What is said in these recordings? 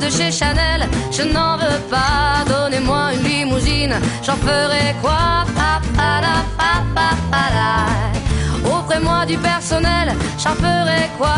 de chez Chanel, je n'en veux pas. Donnez-moi une limousine, j'en ferai quoi? Offrez-moi du personnel, j'en ferai quoi?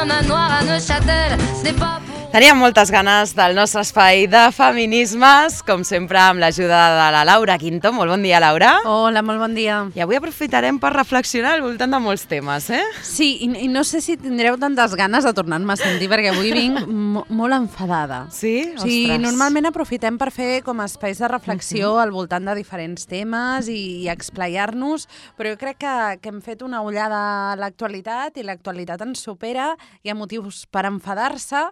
Un manoir à Neuchâtel, ce n'est pas... Teníem moltes ganes del nostre espai de feminismes, com sempre amb l'ajuda de la Laura Quinto. Molt bon dia, Laura. Hola, molt bon dia. I avui aprofitarem per reflexionar al voltant de molts temes, eh? Sí, i no sé si tindreu tantes ganes de tornar-me a sentir, perquè avui vinc molt enfadada. Sí? Ostres. Sí, normalment aprofitem per fer com espais de reflexió al voltant de diferents temes i explaiar-nos, però jo crec que hem fet una ullada a l'actualitat i l'actualitat ens supera, hi ha motius per enfadar-se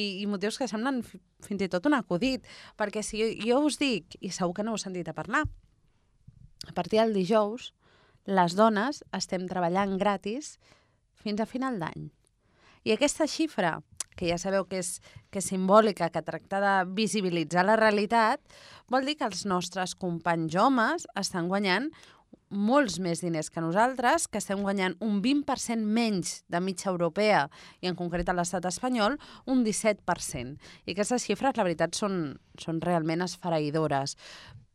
i motius que semblen fins i tot un acudit, perquè si jo us dic, i segur que no heu sentit a parlar, a partir del dijous les dones estem treballant gratis fins a final d'any. I aquesta xifra, que ja sabeu que és simbòlica, que tracta de visibilitzar la realitat, vol dir que els nostres companys homes estan guanyant molts més diners que nosaltres, que estem guanyant un 20% menys de mitja europea i en concret a l'estat espanyol un 17%. I aquestes xifres, la veritat, són realment esfereïdores.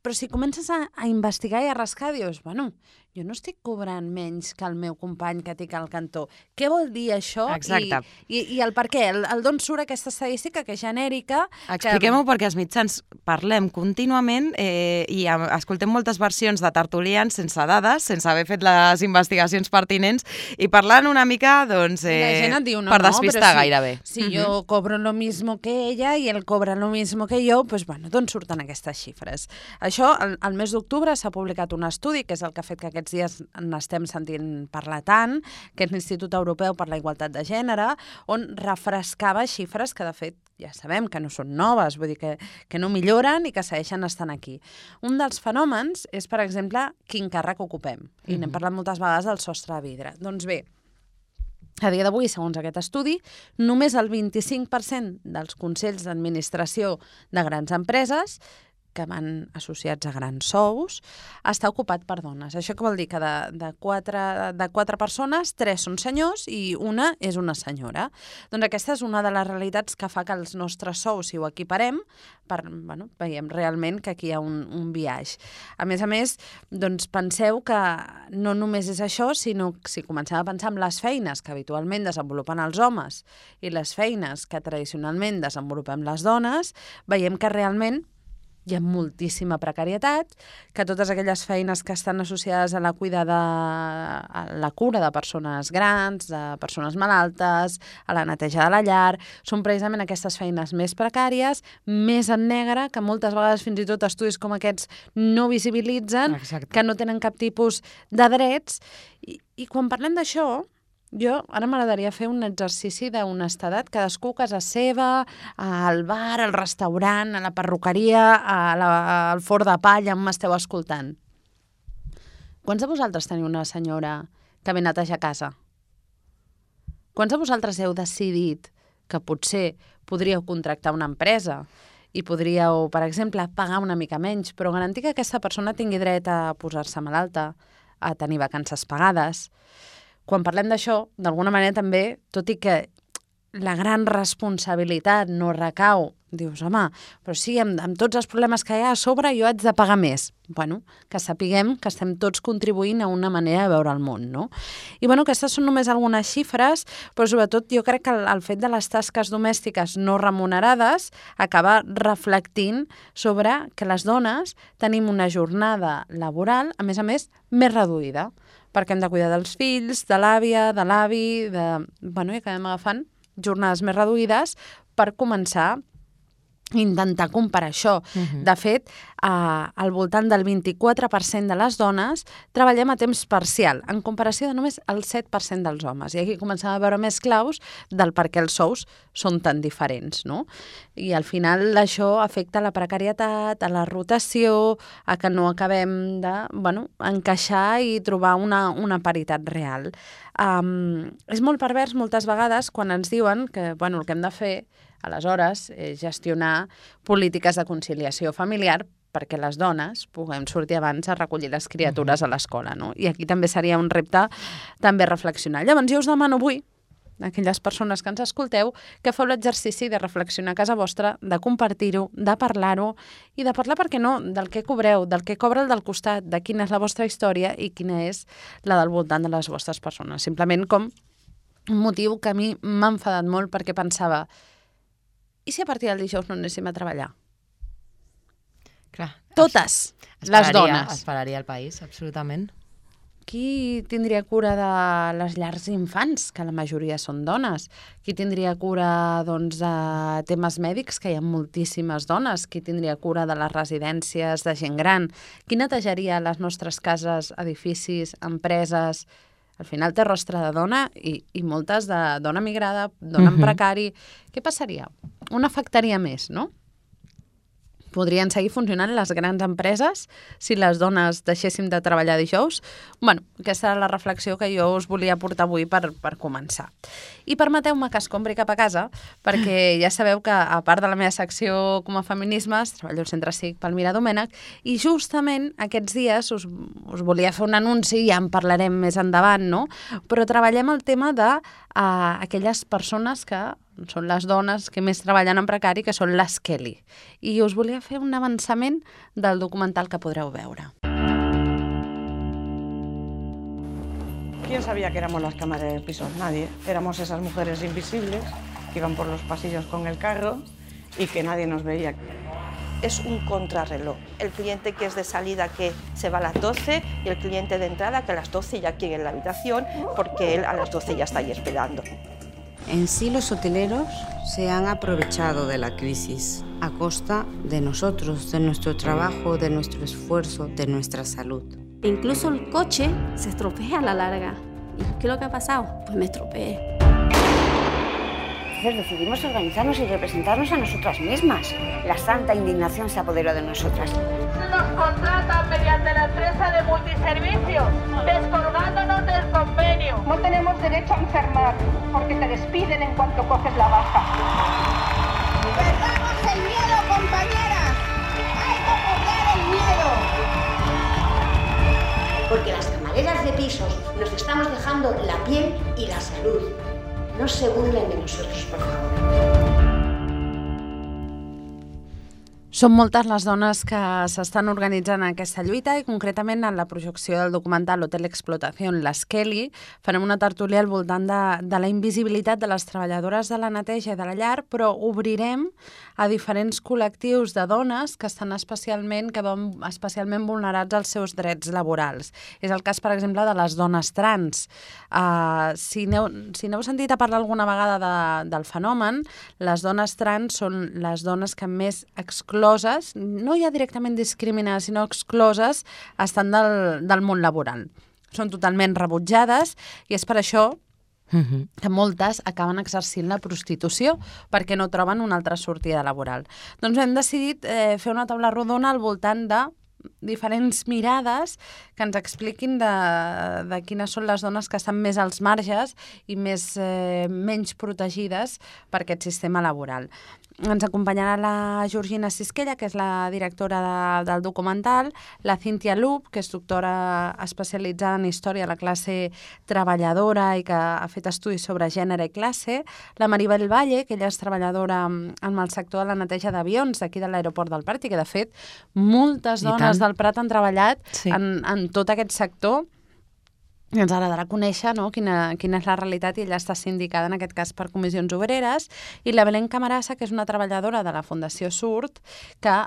Però si comences a investigar i a rascar, dius, bueno, jo no estic cobrant menys que el meu company que tinc al cantó. Què vol dir això? Exacte. I el per què? El d'on surt aquesta estadística que és genèrica? Expliquem-ho perquè els mitjans parlem contínuament i escoltem moltes versions de tertulians sense dades, sense haver fet les investigacions pertinents i parlant una mica, doncs, la gent et diu, per despistar gairebé. Si jo cobro lo mismo que ella i ell cobra lo mismo que jo, doncs, bueno, d'on surten aquestes xifres? Això, al mes d'octubre s'ha publicat un estudi, que és el que ha fet que aquests dies n'estem sentint parlar tant, que és l'Institut Europeu per la Igualtat de Gènere, on refrescava xifres que, de fet, ja sabem que no són noves, vull dir que no milloren i que segueixen estant aquí. Un dels fenòmens és, per exemple, quin càrrec ocupem. I n'hem parlat moltes vegades del sostre de vidre. Doncs bé, a dia d'avui, segons aquest estudi, només el 25% dels consells d'administració de grans empreses que van associats a grans sous, està ocupat per dones. Això què vol dir? Que de quatre persones, 3 són senyors i una és una senyora. Doncs aquesta és una de les realitats que fa que els nostres sous, si ho equiparem, veiem realment que aquí hi ha un biaix. A més, doncs penseu que no només és això, sinó que si comencem a pensar en les feines que habitualment desenvolupen els homes i les feines que tradicionalment desenvolupem les dones, veiem que realment hi ha moltíssima precarietat, que totes aquelles feines que estan associades a la cura de persones grans, de persones malaltes, a la neteja de la llar, són precisament aquestes feines més precàries, més en negre, que moltes vegades fins i tot estudis com aquests no visibilitzen, Exacte. que no tenen cap tipus de drets. I quan parlem d'això, jo ara m'agradaria fer un exercici d'honestedat, cadascú a casa seva, al bar, al restaurant, a la perruqueria, al forn de palla, on m'esteu escoltant. Quants de vosaltres teniu una senyora que ve a netejar casa? Quants de vosaltres heu decidit que potser podríeu contractar una empresa i podríeu, per exemple, pagar una mica menys, però garantir que aquesta persona tingui dret a posar-se malalta, a tenir vacances pagades? Quan parlem d'això, d'alguna manera també, tot i que la gran responsabilitat no recau, dius, home, però sí, amb tots els problemes que hi ha a sobre jo haig de pagar més. Bueno, que sapiguem que estem tots contribuint a una manera de veure el món, no? I bueno, aquestes són només algunes xifres, però sobretot jo crec que el fet de les tasques domèstiques no remunerades acaba reflectint sobre que les dones tenim una jornada laboral, a més, més reduïda, perquè hem de cuidar dels fills, de l'àvia, de l'avi, i acabem agafant jornades més reduïdes per començar intentar comparar això. De fet, al voltant del 24% de les dones treballem a temps parcial, en comparació de només el 7% dels homes. I aquí comencem a veure més claus del per què els sous són tan diferents, no? I al final això afecta la precarietat, a la rotació, a que no acabem de encaixar i trobar una paritat real. És molt pervers moltes vegades quan ens diuen que el que hem de fer aleshores és gestionar polítiques de conciliació familiar perquè les dones puguem sortir abans a recollir les criatures a l'escola, no? I aquí també seria un repte també reflexionar. Llavors jo us demano avui, aquelles persones que ens escolteu, que feu l'exercici de reflexionar a casa vostra, de compartir-ho, de parlar-ho i de parlar, per què no, del que cobreu, del que cobra el del costat, de quina és la vostra història i quina és la del voltant de les vostres persones. Simplement com un motiu que a mi m'ha enfadat molt perquè pensava, i si a partir del dijous no anéssim a treballar? Clar. Totes les dones. Es pararia el país, absolutament. Qui tindria cura de les llars d'infants, que la majoria són dones? Qui tindria cura doncs, de temes mèdics, que hi ha moltíssimes dones? Qui tindria cura de les residències de gent gran? Qui netejaria les nostres cases, edificis, empreses? Al final té rostre de dona i moltes de dona migrada, dona en precari. Què passaria? Una afectaria més, no? Podrien seguir funcionant les grans empreses si les dones deixéssim de treballar dijous? Bueno, aquesta era la reflexió que jo us volia portar avui per començar. I permeteu-me que escombri cap a casa, perquè ja sabeu que, a part de la meva secció com a feminismes, treballo al Centre Cívic Palmira Domènech, i justament aquests dies us volia fer un anunci, ja en parlarem més endavant, no? Però treballem el tema de aquelles persones que són les dones que més treballen en precari, que són les Kelly. I us volia fer un avançament del documental que podreu veure. ¿Quién sabía que éramos las camareras del piso? Nadie. Éramos esas mujeres invisibles que iban por los pasillos con el carro y que nadie nos veía. Es un contrarreloj. El cliente que es de salida que se va a las 12 y el cliente de entrada que a las 12 ya quiere en la habitación porque él a las 12 ya está ahí esperando. En sí, los hoteleros se han aprovechado de la crisis a costa de nosotros, de nuestro trabajo, de nuestro esfuerzo, de nuestra salud. Incluso el coche se estropea a la larga. ¿Y qué es lo que ha pasado? Pues me estropeé. Entonces decidimos organizarnos y representarnos a nosotras mismas. La santa indignación se apoderó de nosotras. Nos contratan mediante la empresa de multiservicios, descolgándonos del convenio. No tenemos derecho a enfermar, porque te despiden en cuanto coges la baja. ¡Perdamos el miedo, compañeras! ¡Hay que perder el miedo! Porque las camareras de pisos nos estamos dejando la piel y la salud. No se burlen de nosotros, por favor. Són moltes les dones que s'estan organitzant en aquesta lluita i concretament en la projecció del documental Hotel Explotación, les Kelly, farem una tertúlia al voltant de la invisibilitat de les treballadores de la neteja i de la llar, però obrirem a diferents col·lectius de dones que estan especialment vulnerats als seus drets laborals. És el cas, per exemple, de les dones trans. Si n'heu sentit a parlar alguna vegada del fenomen, les dones trans són les dones que més excloses, no ja directament discriminades, sinó excloses, estan del món laboral. Són totalment rebutjades i és per això que moltes acaben exercint la prostitució perquè no troben una altra sortida laboral. Doncs hem decidit fer una taula rodona al voltant de diferents mirades que ens expliquin de quines són les dones que estan més als marges i menys protegides per aquest sistema laboral. Ens acompanyarà la Georgina Sisquella, que és la directora del documental, la Cynthia Loop, que és doctora especialitzada en història de la classe treballadora i que ha fet estudis sobre gènere i classe, la Maribel Valle, que ella és treballadora en el sector de la neteja d'avions d'aquí de l'aeroport del Prat i que, de fet, moltes dones del Prat han treballat en tot aquest sector. I ens agradarà conèixer quina és la realitat i ella està sindicada en aquest cas per Comissions Obreres, i la Belén Camarasa, que és una treballadora de la Fundació Surt, que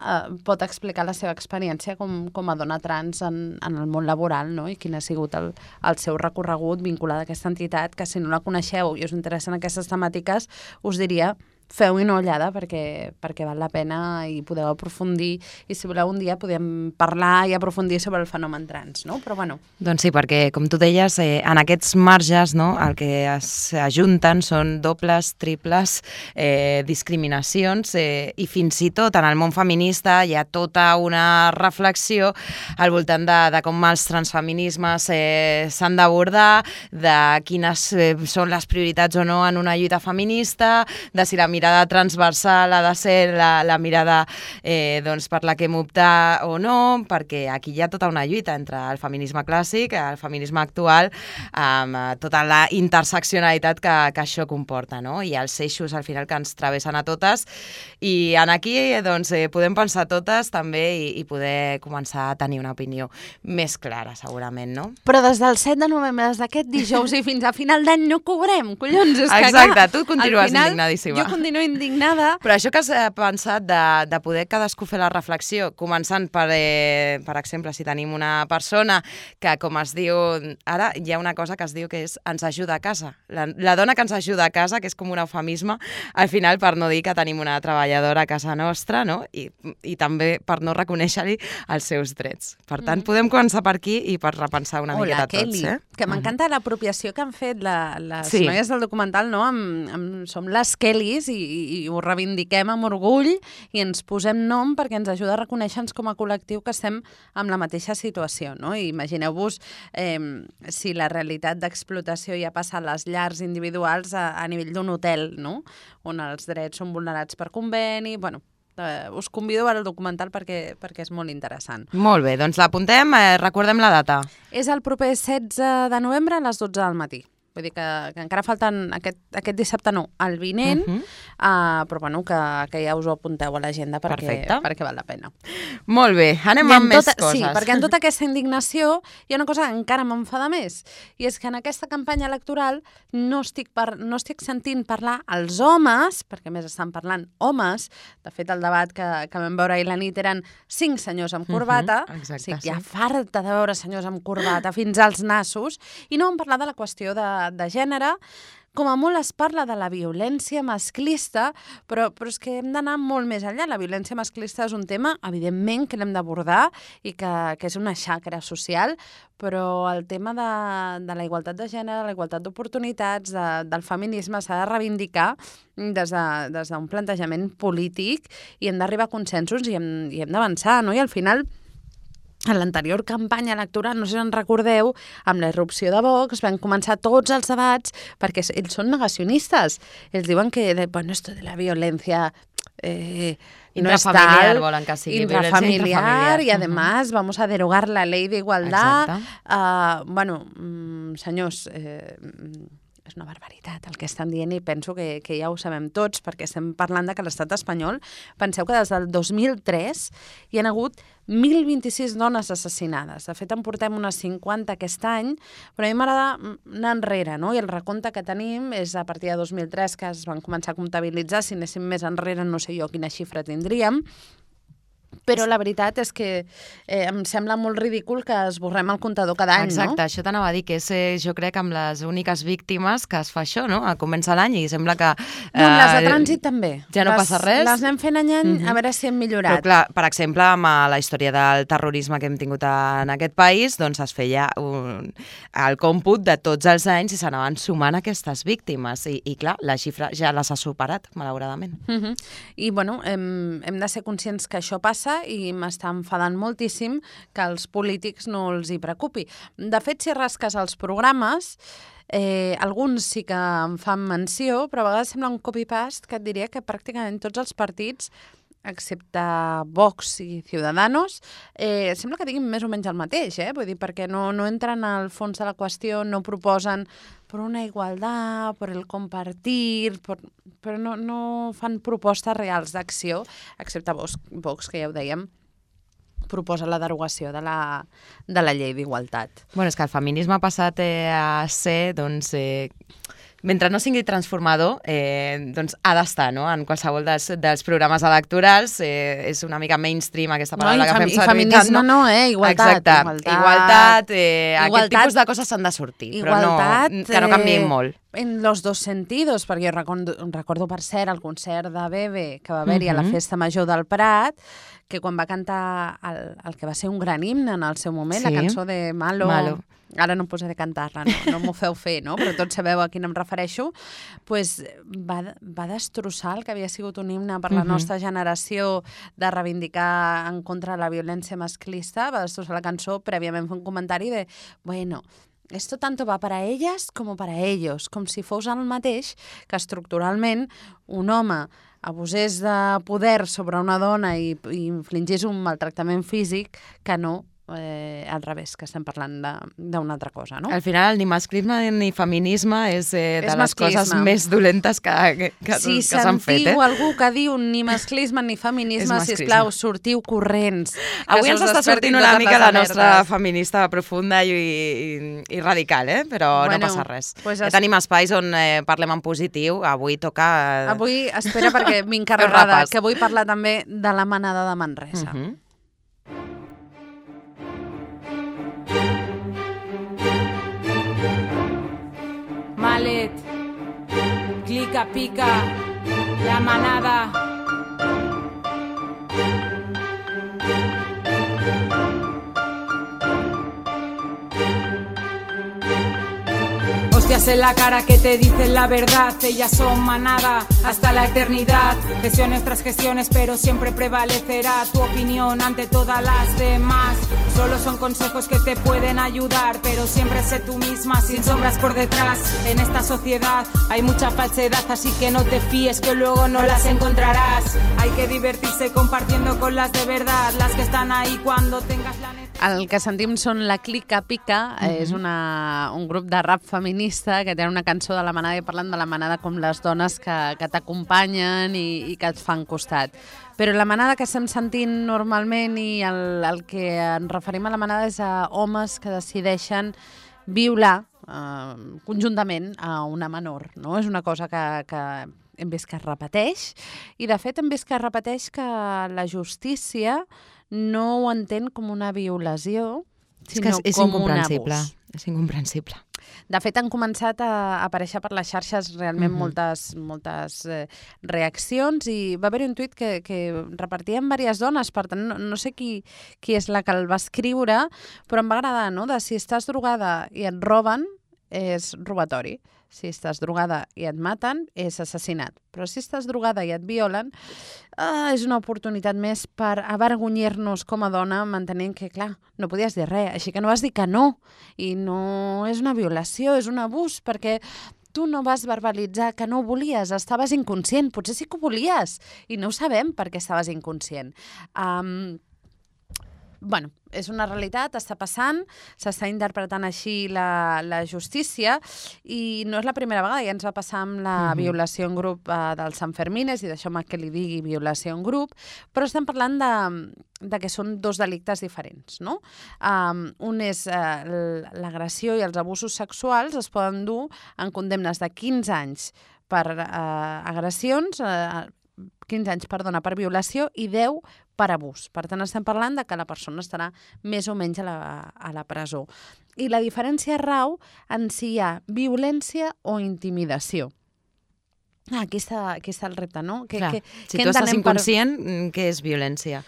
pot explicar la seva experiència com a dona trans en el món laboral, no? I quin ha sigut el seu recorregut vinculat a aquesta entitat, que si no la coneixeu i us interessen aquestes temàtiques, us diria feu una ullada perquè val la pena i podeu aprofundir, i si voleu un dia podem parlar i aprofundir sobre el fenomen trans, no? Però bueno. Doncs sí, perquè com tu deies, en aquests marges el que s'ajunten són dobles, triples discriminacions i fins i tot en el món feminista hi ha tota una reflexió al voltant de com els transfeminismes s'han d'abordar, de quines són les prioritats o no en una lluita feminista, de si la mirada mirada transversal ha de ser la mirada doncs, per la que hem optat o no, perquè aquí hi ha tota una lluita entre el feminisme clàssic, el feminisme actual, amb tota la interseccionalitat que això comporta, no? I els eixos al final que ens travessen a totes, i en aquí doncs, podem pensar totes també i poder començar a tenir una opinió més clara, segurament, no? Però des del 7 de novembre, des d'aquest dijous i fins a final d'any no cobrem, collons! És que, exacte, clar, tu continues indignadíssima. Jo continuo indignada. Però això que has pensat de poder cadascú fer la reflexió, començant per exemple, si tenim una persona que, com es diu, ara hi ha una cosa que es diu que és ens ajuda a casa. La dona que ens ajuda a casa, que és com un eufemisme, al final per no dir que tenim una treballadora a casa nostra, no? I també per no reconèixer-li els seus drets. Per tant, podem començar per aquí i per repensar una miqueta tots. Que m'encanta l'apropiació que han fet les noies del documental, no? Som les Kellys i ho reivindiquem amb orgull i ens posem nom perquè ens ajuda a reconèixer-nos com a col·lectiu que estem en la mateixa situació, no? I imagineu-vos si la realitat d'explotació ja passa a les llars individuals a nivell d'un hotel, no? On els drets són vulnerats per conveni, bueno, us convido a veure el documental perquè és molt interessant. Molt bé, doncs l'apuntem, recordem la data. És el proper 16 de novembre a les 12 del matí. Vull dir que encara falten aquest dissabte no, el vinent, però bueno, que ja us ho apunteu a l'agenda perquè val la pena. Molt bé, anem amb més coses. Sí, perquè en tota aquesta indignació hi ha una cosa que encara m'enfada més, i és que en aquesta campanya electoral no estic sentint parlar als homes, perquè més estan parlant homes, de fet el debat que vam veure ahir la nit eren 5 senyors amb corbata, estic ja farta de veure senyors amb corbata fins als nassos, i no vam parlar de la qüestió de gènere. Com a molt es parla de la violència masclista, però és que hem d'anar molt més enllà. La violència masclista és un tema, evidentment, que l'hem d'abordar i que és una xacra social, però el tema de la igualtat de gènere, la igualtat d'oportunitats, del feminisme s'ha de reivindicar des d'un plantejament polític i hem d'arribar a consensos i hem d'avançar, no? I al final, en l'anterior campanya electoral, no sé si en recordeu, amb la irrupció de Vox van començar tots els debats perquè ells són negacionistes. Ells diuen que, bueno, esto de la violència intrafamiliar, volen que sigui intrafamiliar, i además vamos a derogar la ley de igualdad. Bueno, senyors, és una barbaritat el que estan dient i penso que ja ho sabem tots perquè estem parlant de que l'estat espanyol, penseu que des del 2003 hi ha hagut 1.026 dones assassinades. De fet, en portem unes 50 aquest any, però a mi m'agrada anar enrere, no? I el recompte que tenim és a partir de 2003 que es van començar a comptabilitzar. Si anéssim més enrere no sé jo quina xifra tindríem. Però la veritat és que em sembla molt ridícul que esborrem el comptador cada any, no? Exacte, això t'anava a dir, que és, jo crec, amb les úniques víctimes que es fa això, no? Comença l'any i sembla que... No, les de trànsit també. Ja no passa res. Les anem fent any a veure si hem millorat. Però clar, per exemple, amb la història del terrorisme que hem tingut en aquest país, doncs es feia el còmput de tots els anys i s'anaven sumant aquestes víctimes. I clar, la xifra ja les ha superat, malauradament. I, bueno, hem de ser conscients que això passa i m'està enfadant moltíssim que als polítics no els hi preocupi. De fet, si rasques els programes, alguns sí que en fan menció, però a vegades sembla un copy-paste que et diria que pràcticament tots els partits, excepte Vox i Ciudadanos, sembla que diguin més o menys el mateix, vull dir, perquè no entren al fons de la qüestió, no proposen per una igualtat, per el compartir, però no fan propostes reals d'acció, excepte Vox, que ja ho dèiem, proposa la derogació de la llei d'igualtat. Bueno, és que el feminisme ha passat a ser, doncs... mentre no sigui transformador, doncs ha d'estar, no?, en qualsevol dels programes electorals. És una mica mainstream aquesta paraula que fem servir. I feminisme no, igualtat. Exacte, igualtat, aquest tipus de coses s'han de sortir, però que no canviïn molt. En los dos sentidos, perquè jo recordo per cert el concert de Bebe que va haver-hi a la Festa Major del Prat, que quan va cantar el que va ser un gran himne en el seu moment, la cançó de Malo. Ara no em posaré a cantar-la, no m'ho feu fer, no? Però tots sabeu a quin em refereixo. Pues va destrossar el que havia sigut un himne per la nostra generació de reivindicar en contra de la violència masclista, va destrossar la cançó, prèviament fer un comentari de, bueno, Esto tanto va para ellas como para ellos, com si fos el mateix que estructuralment un home abusés de poder sobre una dona i infligís un maltractament físic que no al revés, que estem parlant d'una altra cosa, no? Al final, ni masclisme ni feminisme és de les coses més dolentes que s'han fet. Si sentiu algú que diu ni masclisme ni feminisme, sisplau, sortiu corrents. Avui ens està sortint una mica la nostra feminista profunda i radical, però no passa res. Tenim espais on parlem en positiu, avui toca... Avui, espera, perquè m'he encarregada, que vull parlar també de la manada de Manresa. Malet, clica, pica, la manada. Hostias en la cara que te dicen la verdad, ellas son manada hasta la eternidad. Gestiones tras gestiones, pero siempre prevalecerá tu opinión ante todas las demás. Solo son consejos que te pueden ayudar, pero siempre sé tú misma, sin sombras por detrás. En esta sociedad hay mucha falsedad, así que no te fíes que luego no las encontrarás. Hay que divertirse compartiendo con las de verdad, las que están ahí cuando tengas la necesidad. El que sentim són la Clica Pica, és un grup de rap feminista que té una cançó de la manada i parlant de la manada com les dones que t'acompanyen i que et fan costat. Però la manada que estem sentint normalment i el que ens referim a la manada és a homes que decideixen violar conjuntament a una menor, no? És una cosa que hem vist que es repeteix i de fet hem vist que es repeteix que la justícia no ho entén com una violació, sinó com un abús. És incomprensible. De fet, han començat a aparèixer per les xarxes realment moltes reaccions i va haver-hi un tuit que repartien diverses dones, per tant, no sé qui és la que el va escriure, però em va agradar, no?, de si estàs drogada i et roben, és robatori. Si estàs drogada i et maten, és assassinat. Però si estàs drogada i et violen, és una oportunitat més per avergonyir-nos com a dona, mantenint que, clar, no podies dir res, així que no vas dir que no. I no és una violació, és un abús, perquè tu no vas verbalitzar que no ho volies, estaves inconscient, potser sí que ho volies, i no ho sabem perquè estaves inconscient. Bueno, és una realitat, està passant, s'està interpretant així la justícia i no és la primera vegada, ja ens va passar amb la violació en grup dels Sanfermines i d'això que li digui violació en grup, però estem parlant de que són dos delictes diferents, no? Un és l'agressió i els abusos sexuals es poden dur en condemnes de 15 anys per agressions, 15 anys, perdona, per violació i 10 per abús. Per tant, estem parlant de que la persona estarà més o menys a la presó. I la diferència rau en si hi ha violència o intimidació. Aquí està el repte, no? Si tu estàs inconscient, què és violència?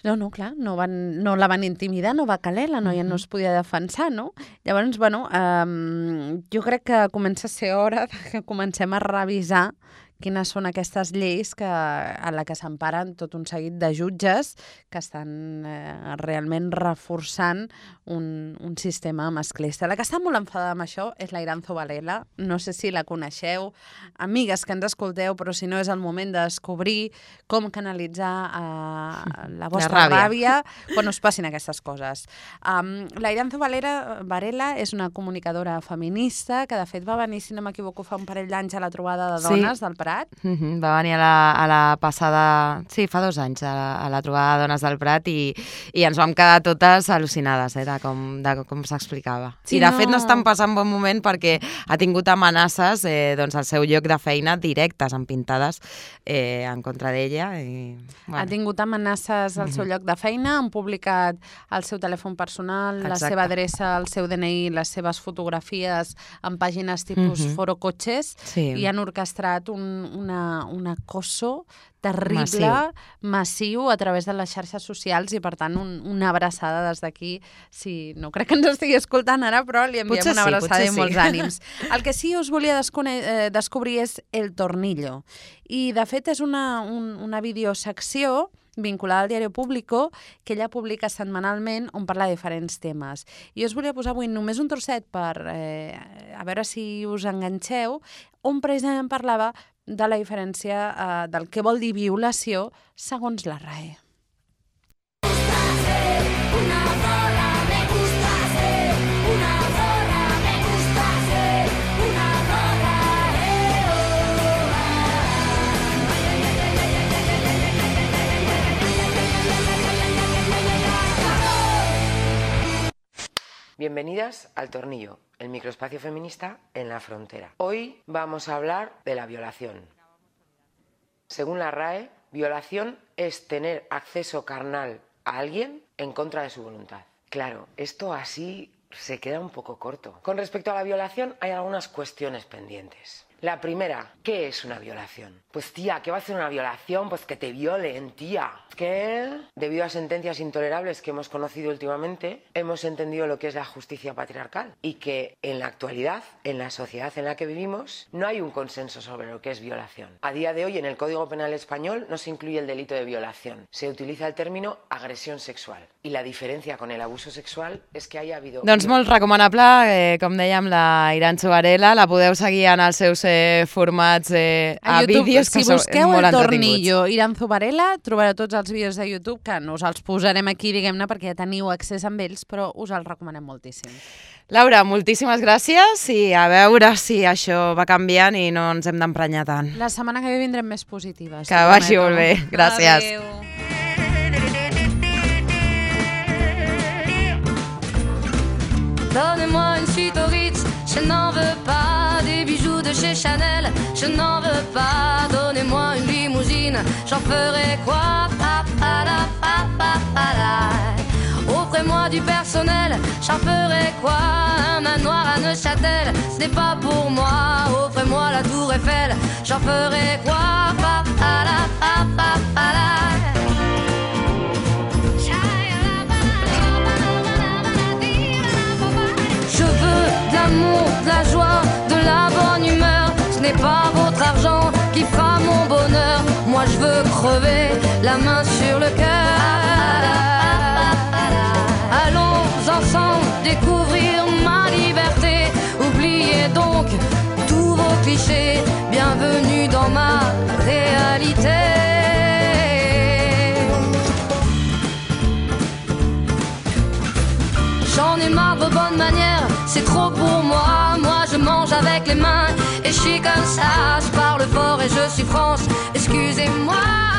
No, clar, no la van intimidar, no va caler, la noia no es podia defensar, no? Llavors, bueno, jo crec que comença a ser hora que comencem a revisar quines són aquestes lleis a la que s'emparen tot un seguit de jutges que estan realment reforçant un sistema masclista. La que està molt enfadada amb això és la Iranzo Varela. No sé si la coneixeu, amigues que ens escolteu, però si no és el moment de descobrir com canalitzar la vostra ràbia quan us passin aquestes coses. La Iranzo Varela és una comunicadora feminista que de fet va venir, si no m'equivoco, fa un parell d'anys a la trobada de dones del Prat. Va venir a la passada... Sí, fa 2 anys, a la trobada de dones del Prat i ens vam quedar totes al·lucinades de com s'explicava. I de fet no estan passant bon moment perquè ha tingut amenaces al seu lloc de feina directes, empintades en contra d'ella. Ha tingut amenaces al seu lloc de feina, han publicat el seu telèfon personal, la seva adreça, el seu DNI, les seves fotografies en pàgines tipus Foro Cotxes i han orquestrat un acoso terrible, massiu a través de les xarxes socials i per tant una abraçada des d'aquí, no crec que ens estigui escoltant ara, però li enviem una abraçada i molts ànims. El que sí us volia descobrir és El Tornillo i de fet és una videosecció vinculada al Diario Público, que ella publica setmanalment, on parla de diferents temes. I us volia posar avui només un trosset per a veure si us enganxeu, on precisament parlava de la diferència del que vol dir violació segons la RAE. Bienvenidas al Tornillo, el microespacio feminista en la frontera. Hoy vamos a hablar de la violación. Según la RAE, violación es tener acceso carnal a alguien en contra de su voluntad. Claro, esto así se queda un poco corto. Con respecto a la violación hay algunas cuestiones pendientes. La primera, ¿qué es una violación? Pues tía, ¿qué va a ser una violación? Pues que te violen, tía. Que debido a sentencias intolerables que hemos conocido últimamente, hemos entendido lo que es la justicia patriarcal y que en la actualidad, en la sociedad en la que vivimos, no hay un consenso sobre lo que es violación. A día de hoy, en el Código Penal español no se incluye el delito de violación. Se utiliza el término agresión sexual. I la diferència con el abuso sexual és que haya habido... Doncs molt recomanable, com dèiem, la Iranxo Varela, la podeu seguir en els seus formats a vídeos que són molt entretinguts. Si busqueu el Tornillo Iranxo Varela, trobareu tots els vídeos de YouTube, que no us els posarem aquí, diguem-ne, perquè ja teniu accés amb ells, però us els recomanem moltíssim. Laura, moltíssimes gràcies i a veure si això va canviant i no ens hem d'emprenyar tant. La setmana que ve vindrem més positives. Que vagi molt bé. Gràcies. Adéu. Donnez-moi une suite au Ritz, je n'en veux pas. Des bijoux de chez Chanel, je n'en veux pas. Donnez-moi une limousine, j'en ferai quoi? Offrez-moi du personnel, j'en ferai quoi? Un manoir à Neuchâtel, ce n'est pas pour moi. Offrez-moi la tour Eiffel, j'en ferai quoi? Je veux de l'amour, de la joie, de la bonne humeur. Ce n'est pas votre argent qui fera mon bonheur. Moi je veux crever la main sur le cœur. Allons ensemble découvrir ma liberté. Oubliez donc tous vos clichés. Bienvenue dans ma réalité. J'en ai marre de vos bonnes manières, c'est trop pour moi. Moi je mange avec les mains et je suis comme ça. Je parle fort et je suis France, excusez-moi.